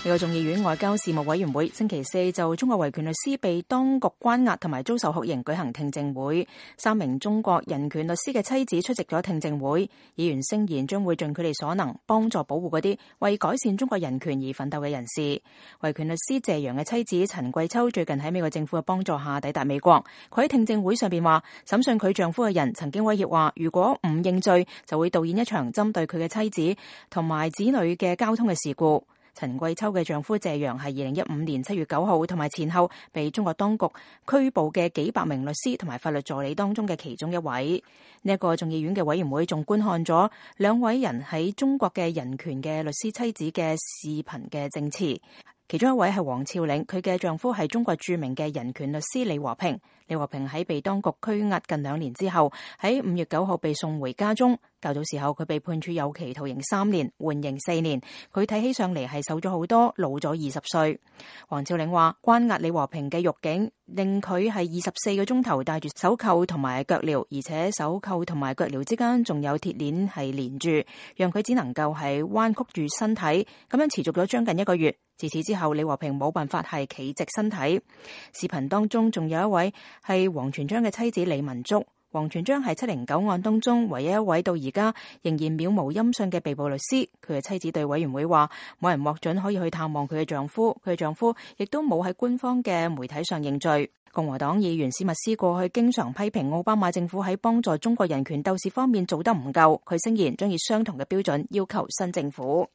呢個眾議院外交事務委員會星期四就中國維權律師被當局關押同埋遭受酷刑舉行聽證會，3名中國人權律師嘅妻子出席咗聽證會。議員聲言將會盡佢哋所能幫助保護嗰啲為改善中國人權而奮鬥嘅人士。維權律師謝陽嘅妻子陳桂秋最近喺美國政府嘅幫助下抵達美國。佢喺聽證會上邊話，審訊佢丈夫嘅人曾經威脅話，如果唔認罪就會導演一場針對佢嘅妻子同埋子女嘅交通嘅事故。陳桂秋嘅丈夫謝陽係2015年7月9號同埋前後被中國當局拘捕嘅幾百名律師同埋法律助理當中嘅其中一位。呢一個眾議院嘅委員會仲觀看咗兩位人喺中國嘅人權嘅律師妻子嘅視頻嘅證詞，其中一位係黃峭嶺，佢嘅丈夫係中國著名嘅人權律師李和平。李和平喺被當局拘押近2年之後，喺5月9號被送回家中。較早時候佢被判處有期徒刑3年，緩刑4年。佢睇起上嚟係瘦咗好多，老咗20歲。黃峭嶺話，關押李和平嘅獄警令佢係24個鐘頭戴住手銬同埋腳鐐，而且手銬同埋腳鐐之間仲有鐵鏈係連住，讓佢只能夠係彎曲住身體，咁樣持續咗將近1個月。自此之後，李和平冇辦法係企直身體。視頻當中仲有一位係王全璋嘅妻子李文竹。王全璋係709案當中唯一一位到而家仍然渺無音訊嘅被捕律師。佢嘅妻子對委員會話，冇人獲准可以去探望佢嘅丈夫，佢嘅丈夫亦都冇喺官方嘅媒體上認罪。共和黨議員史密斯過去經常批評奧巴馬政府喺幫助中國人權鬥士方面做得唔夠，佢聲言將以相同嘅標準要求新政府。